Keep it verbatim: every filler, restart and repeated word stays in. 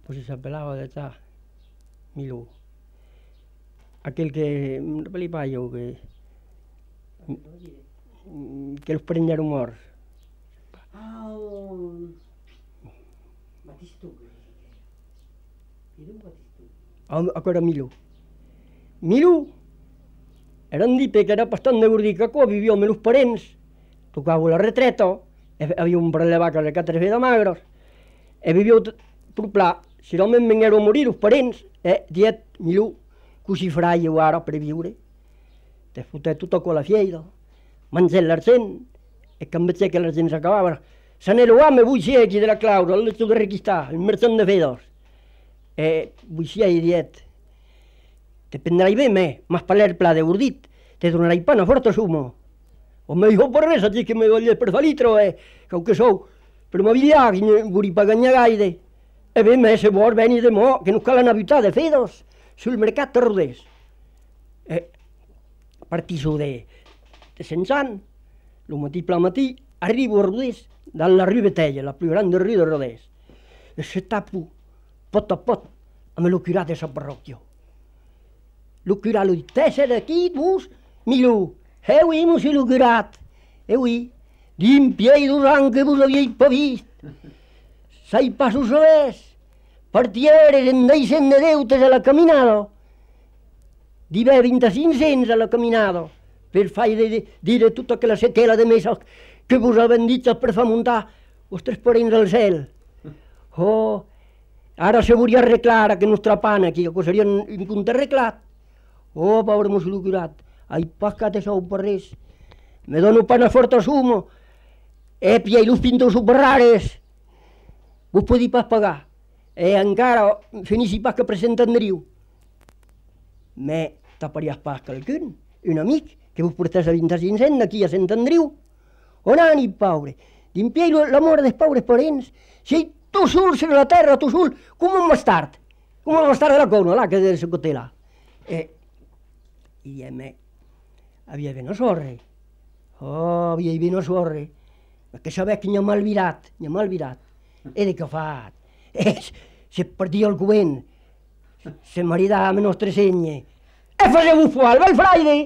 pues se pelava de ta, Milú. Aquel que, palipayo, que, que los prenderon morts. Ah, el... Batistú. Era un Batistú. Això era Milú. Milú era un dipe que era bastant de gordicacó, vivia amb els parents, tocava la retreta, havia un parell de vaques de quatre de magros, e vivia per pla. Si realment vengueren a morir els parents, eh, diet Milú, que si fraia ara per viure, te foté tota con la fieira, menjar l'argent, e que em veig que l'argent s'acabava. Se n'era home, vuixia aquí de la Claura, el letto de requistar, el mercant de fedos. E vuixia i diet, te prendrai bé me, mas paler pla de gordit, te donarai pana forta sumo. O me dijo per res, així que me volia per fa litro, eh, que que sou, per m'aviar, que vuri pa ganyar gaire. E bé, me se vol venir de mo, que no cal anar a avitar de fedos, sul mercat de Rodés. E partiso de, de Sensant, lo matí pla matí, arribo a Rodés, dans la rue Betella, la più grande rue de Rodés. E se tapo, pot a pot, amb lo curat de sa parròquia. Lo curat lo dit, te ser d'aquí, vos, Milú. Eh oui, monsieur lo curat. Eh oui, d'un pied dos anys que vos havíeu pas vist. Sai passos sabés, partieres en deixen de deutes a la caminada. Dive vint-i-cinc-cents a la caminada, per fai de dire tota aquella sequela de mesos que vos havien dit per fa muntar vostres parents al cel. Oh, ara se volia arreglar que nostra pana aquí, que seria un punt arreglat. Oh, pobre monsieur lo curat, ai pas que te sou per res. Me dono pana forta sumo, e piei los pintos superrares. Vos podeu pas pagar, e encara finissi pas que presentandriu. Me taparies pas qualcun, un amic, que vos portés a vint-i-cinc d'aquí a Sant Andriu. On anip, pobre? D'impiei l'amor dels pobres parents. Si tu sul sur la terra, tu sul, com un bastard. Com un bastard de la cona, là, que de la cotela. E, i a me, havia ben a sorre. Oh, havia ben a sorre. Perquè sabés que n'hi ha malvirat, n'hi ha malvirat. E de què fat? E, se perdia el covent, se maridava amb nostre senye. E faceu-vos fuar, el bel fraire!